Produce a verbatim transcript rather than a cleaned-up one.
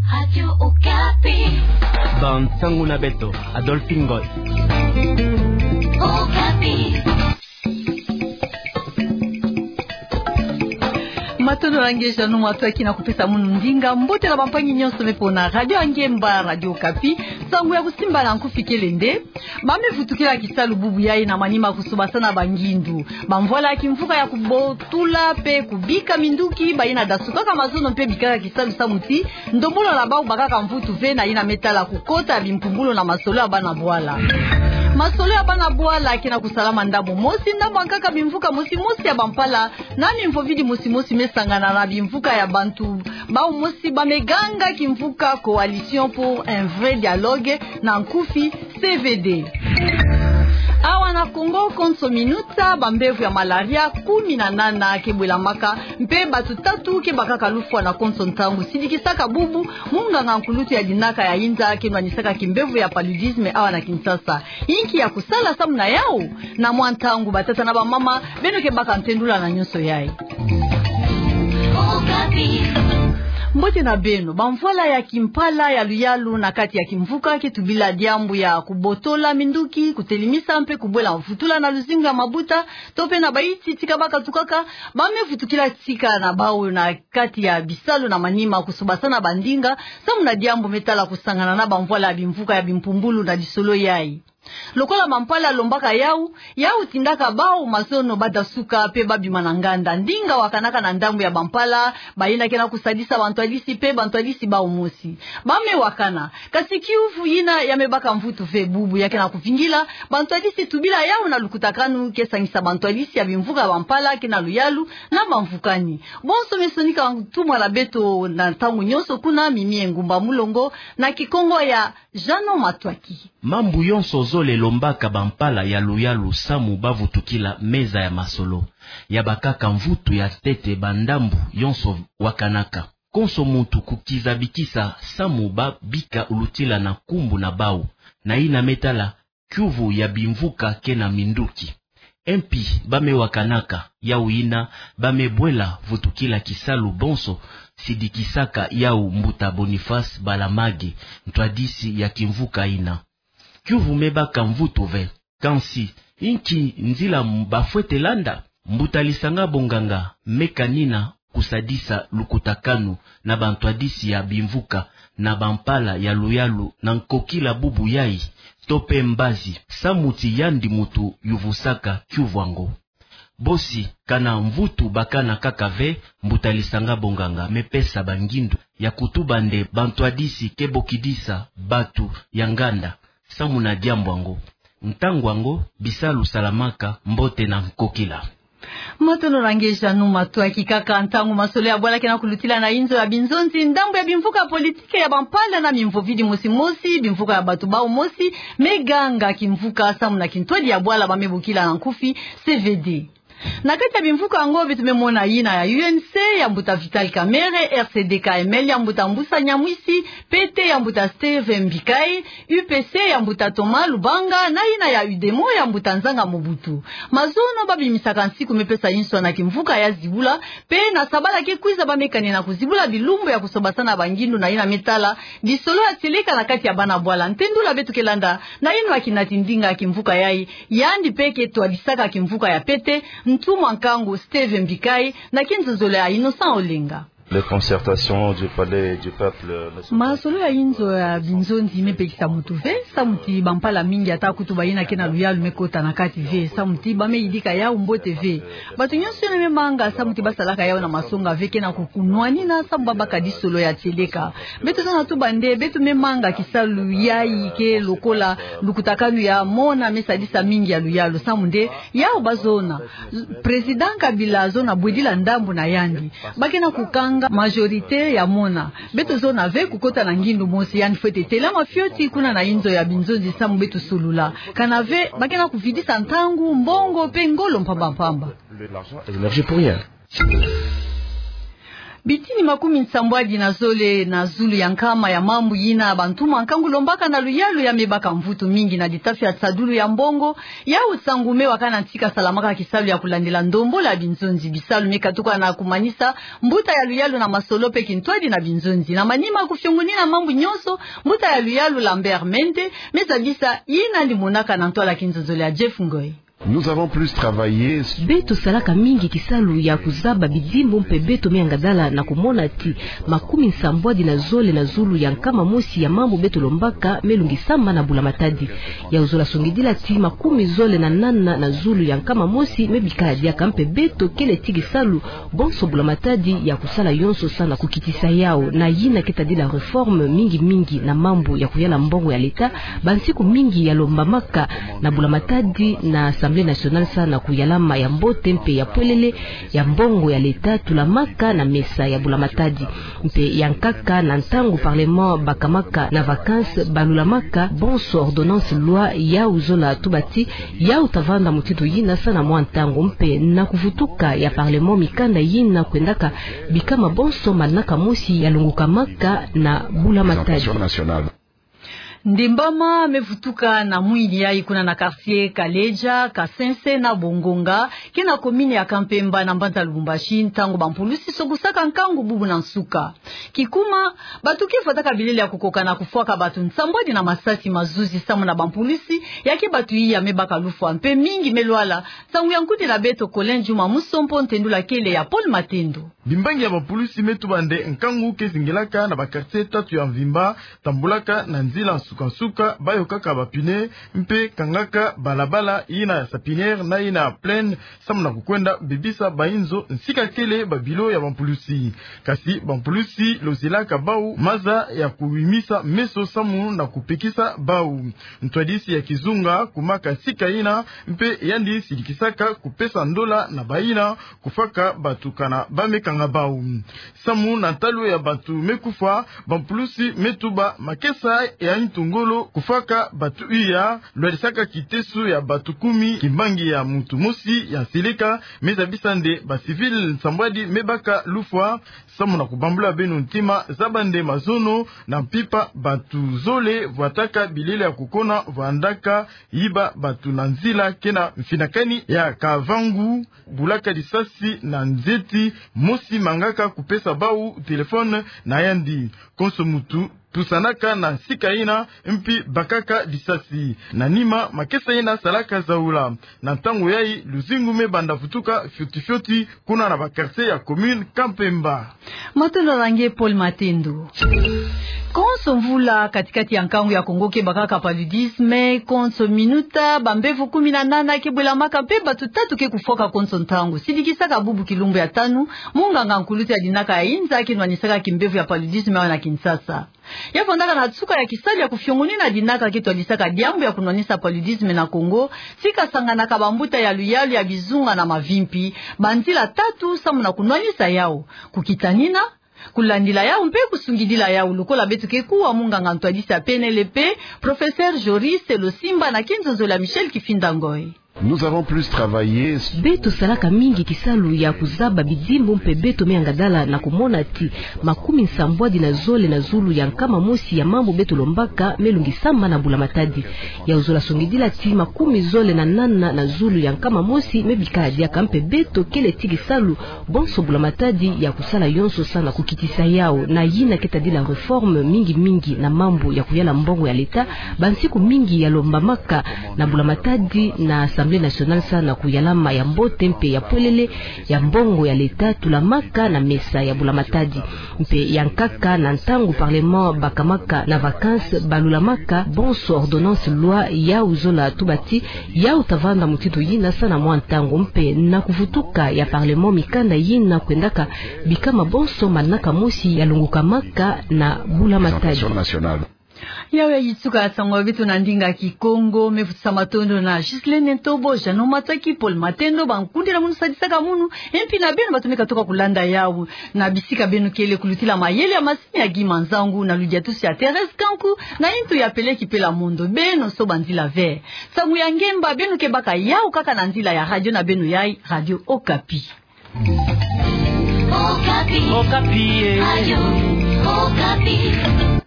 Radio Okapi. Bansango na beto, Adolphe Ngoy. Okapi. Matondo na nge Jeannot Matoaki na kupesa munu ndinga. Mbote na bampangi nyonso me pona Radio Angemba, Radio Okapi. Sango ya kusimba na nkufi kele nde: Ba me vutukila kisalu bubu yai na manima kusobasana bangindu. Bamvwala ya kimvuka ya kubotula pe kubika minduki bayina dasukaka mazono mpe bikaka kisalu samu ti ndombolo na bau bakaka mvutu ve na yina me tala kukota ya bimpumbulu na masolo ya bana bwala. Masolo ya bana bwala ke na kusalama ndambu mosi, ndambu ya nkaka bimvuka mosi mosi ya bampala na mimvovidi mosi mosi me sangana na bimvuka ya bantu bau mosi ba me ganga kimvuka Coalition pour un vrai dialogue, na nkufi C V D. Awa na Kongo, konso minuta, bambevo ya malaria kumi na nana ke bwelamaka, mpe bato tatu ke bakaka lufwa na konso ntangu. Sidikisaka bubu munganga nkulutu ya dinaka ya inza ke nwanisaka kimbevo ya paludisme awa na Kinshasa. Inki ya kusala samu na yau? Na mwa ntangu, batata na bamama, beno ke baka ntendula na nyonso yai. Mbote na beno. Bamvwala ya kimpala ya luyalu na kati ya kimvuka ke tubila diambu ya kubotola minduki, kutelemisa mpe kubwela mvutula na luzingu ya mabuta, to pe na baiti tika bakatukaka. Ba me vutukila tika na bau na kati ya bisalu na manima kusobasana bandinga samu na diambu me tala kusangana na bamvwala ya bimvuka ya bimpumbulu na lisolo yai. Lokola bampala lombaka yau, yau tindaka bau mazono badasuka pe babima na nganda. Ndinga wakanaka na ndambu ya bampala bayina ke na kusadisa bantwadisi pe bantwadisi bau mosi. Ba me wakana. Kasi kiuvu yina ya me baka mvutu ve bubu ya ke na kuvingila bantwadisi tubila yau na lukutakanu ke sangisa bantwadisi ya bimvuka ya bampala ke na luyalu na bamvukani. Bonso me sonika ntumwa na beto na ntangu nyonso kuna, Mimi Engumba Mulongo, na Kikongo ya Jeannot Matoaki. Mambu yonso zole lombaka bampala ya luyalu samu bavutukila meza ya masolo. Ya bakaka mvutu ya ntete bandambu yonso wakanaka. Konso muntu kukiza bikisa samu babika ulutila na nkumbu na bau, na yina me tala kiuvu ya bimvuka ke na minduki. Mpi ba me wakanaka, yau yina ba me bwela vutukila kisalu bonso, sidikisaka yau mbuta Boniface Balamage, ntwadisi ya kimvuka yina. Kiuvu me baka mvutu ve. Kansi, inki nzila bafwete landa? Mbuta Lisanga Bonganga me kanina kusadisa lukutakanu na bantwadisi ya bimvuka na bampala ya luyalu na nkokila bubu yai, to pe mbazi, samu ti yandi muntu yuvusaka kiuvu yango. Bosi, kana mvutu bakana kaka ve, mbuta Lisanga Bonganga me pesa bangindu ya kutuba nde bantwadisi ke bokidisa batu ya nganda samu na diambu yango. Ntangu yango, bisalu salamaka mbote na nkokila. Matondo na nge Jeannot Matoaki. Kaka ntangu masolo ya bwala ke na kulutila na inzo ya binzonzi, ndambu ya bimvuka politike ya bampala na mimvovidi mosi mosi, bimvuka ya batu bau mosi, me ganga kimvuka samu na kintwadi ya bwala ba me bokila na nkufi C V D. Na kati ya bimvuka yango, beto me mona yina ya U N C ya mbuta Vital Kamerhe, R C D K M L ya mbuta Mbusa Nyamwisi, P T ya mbuta Steve Mbikayi, U P C ya mbuta Thomas Lubanga, na yina ya UDEMO ya mbuta Nzanga Mobutu. Mazono babimisaka nsiku me pesa inswa na kimvuka ya zibula, pe na sabala ke kwiza ba me kanina kuzibula bilumbu ya kusobasana bangindu na yina me tala lisolo ya tieleka na kati ya bana bwala. Ntendula beto ke landa na yino ya kinati ndinga ya kimvuka yai, yandi pe ke twadisaka kimvuka ya P T, ntumwa nkangu Steve Mbikayi, na kinzonzolo ya Innocent Olenga. Les concertations du palais du peuple ne sont pas... Masolo ya inzo ya binzonzi me pekisa mutu ve, samu ti bampala mingi, ata kutu bayina ke na luyalu, me kota na kati ve, samu ti ba me yidika yau mbote ve. Bato nyonso yina me manga samu ti basalaka yau na masonga ve ke na kukunwanina samu babaka disolo ya tieleka. Beto zona tuba nde beto me manga kisalu yai ke lokola lukutakanu ya mona me sadisa mingi ya luyalu, samu nde yau bazona. Président Kabila zona bwedila ndambu na yandi. Ba ke na kukanga majorité ya mona. Beto zona ve kukota na ngindu mosi, yandi fwete telama fioti kuna na inzo ya binzonzi samu beto solula. Kana ve, ba ke na kuvidisa ntangu, mbongo, pe ngolo mpamba mpamba. L'argent et l'énergie pour rien. Bitini makumi nsambwadi na zole na zulu ya nkama ya mambu yina bantu ma nkangu lombaka na luyalu ya me baka mvutu mingi na litafi ya nsadulu ya mbongo, yau nsangu me waka na nti ka salamaka kisalu ya kulandila ndombolo ya binzonzi. Bisalu me katuka na kumanisa mbuta ya luyalu na masolo mpe kintwadi na binzonzi. Na manima kufiongonina mambu nyonso, mbuta ya luyalu Lambert Mende me zabisa yina yandi monaka na ntwala kinzonzolo ya Jeff Ngoy. Nous avons plus travaillé. Beto salaka mingi kisalu ya kuzaba bidimbu mpe beto me angadala na kumona ti makumi nsambwadi na zole na zulu ya nkama mosi ya mambu beto lombaka me lungisama na Bula Matadi. Yau zola songidila ti makumi zole na nana na zulu ya nkama mosi me bikala diaka, mpe beto kele ti kisalu bonso Bula Matadi ya kusala yonso sa na kukitisa yau. Na yina ke tadila réforme mingi mingi na mambu ya kuyala mbongo ya leta, bansiku mingi ya lombamaka na Bula Matadi na Assemblée nationale sa na kuyalama ya mbote mpe ya pwelele ya mbongo ya leta tulamaka na mesa ya Bula Matadi. Mpe ya nkaka, na ntangu Parlement bakamaka na vacances, balulamaka bonso ordonnances, lois yau zola tuba ti yau tavanda mutindu yina sa na mwa ntangu, mpe na kuvutuka ya Parlement, mikanda yina kwendaka bikama bonso manaka mosi ya lungukamaka na Bula Matadi. Ndimbama me vutuka na mwini yayi kuna na quartier Kaleja, Kasense na Bongonga, ke na commune ya Kampemba na mbanza Lubumbashi, ntangu bampulusi sokusaka nkangu bubu na nsuka. Kikuma, bantu ke fwataka bilele ya kukoka na kufwaka bantu nsambwadi na masasi mazuzi samu na bampulusi, ya ke bantu iya me baka lufwa mpe mingi me lwala. Nsangu ya nkundi na beto Colin Juma Musompo, ntendula kele ya Paul Matendo. Bimbangi ya bampulusi me tuba nde nkangu ke zingilaka na ba quartier tatu ya mvimba, tambulaka na nzila nsuka nsuka, bayokaka ba pneus, mpe kangaka balabala, yina ya Sapinière na yina ya Plaine, samu na kukwenda bebisa bainzo, nsika kele ba bilo ya bampulusi. Kasi bampulusi lozilaka bau maza ya kuwimisa meso samu na kupekisa bau. Ntwadisi ya kizunga kumaka nsika yina, mpe yandi silikisaka kupesa ndola na bayina kufwaka bantu kana ba me kanga bau. Samu na ntalu ya bantu me kufwa, bampulusi me tuba makesa ya ntu ngolo kufwaka bantu iya, lwadisaka kiteso ya bantu kumi, kimbangi ya muntu mosi ya nseleka me zabisa nde ba civils nsambwadi me baka lufwa. Samu na kubambula beno ntima, zaba nde mazono na mpimpa bantu zole vwataka bilele ya kukona, vwandaka yiba bantu na nzila, ke na mfinakani ya kavangu, bulaka lisasi na nzeti, mosi mangaka kupesa bau téléphone na yandi. Konso muntu pusanaka na nsika yina, mpi bakaka lisasi. Na nima, makesa yina salaka zaula. Na ntangu yayi, luzingu me banda vutuka fioti fioti kuna na ba quartier ya commune Kampemba. Matondo na nge Paul Matendo. Konso mvula, katikati ya nkangu ya Kongo ke bakaka paludisme, konso minuta bambevo kumi na nana ke bwelamaka mpe bantu tatu ke kufwaka konso ntangu. Sidikisaka bubu kilumbu ya tanu, munganga nkuluntu ya dinaka ya inza ke nwanisaka kimbevo ya paludisme awa na Kinshasa. Ya vandaka na nsuka ya kisalu ya kufiongonina dinaka ke twadisaka diambu ya kunwanisa paludisme na Kongo, si kasanganaka bambuta ya luyalu ya bizunga na mavimpi, banzila tatu samu na kunwanisa yau: kukitanina, kulandila yau mpe kusungidila yau, lokola beto ke kuwa munganga ntwadisi ya P N L P, professeur Joris Losimba, na kinzonzolo ya Michel Kifinda Ngoy. Nous avons plus travaillé. Beto salaka mingi kisalu ya kuzaba bidimbu mpe beto me angadala na kumona ti makumi nsambwadi na zole na zulu ya nkama mosi ya mambu beto lombaka me lungisama na Bula Matadi. Yau zola songidila ti makumi zole na nana na zulu ya nkama mosi me bikala diaka, mpe beto kele ti kisalu bonso Bula Matadi ya kusala yonso sa na kukitisa yau. Na yina ke tadila réforme mingi mingi na mambu ya kuyala mbongo ya leta, bansiku mingi ya lombamaka na Bula Matadi na Assemblée nationale sa na kuyalama ya mbote mpe ya pwelele ya mbongo ya leta tulamaka na mesa ya Bula Matadi. Mpe ya nkaka, na ntangu Parlement bakamaka na vacances, balulamaka bonso ordonnances, lois yau zola tuba ti yau tavanda mutindu yina sa na mwa ntangu, mpe na kuvutuka ya Parlement, mikanda yina kwendaka bikama bonso manaka mosi ya lungukamaka na Bula Matadi. Yau yayi nsuka ya nsangu ya beto na ndinga Kikongo. Me vutisa matondo na Ghislaine Ntobo, Jeannot Mataki, Paul Matendo, bankundi na munu sadisaka munu, mpi na beno bantu me katuka kulanda yau na bisika beno kele, kulutila mayele ya masini ya Guy Manzangu, na ludiatusi ya Thérèse Kanku, na intu ya Peleki Pela Mondo, beno so banzila ve. Nsangu ya ngemba beno ke baka yau kaka na nzila ya radio na beno yayi, Radio Okapi. Okapi. Okapi, eh. Ayo, Okapi.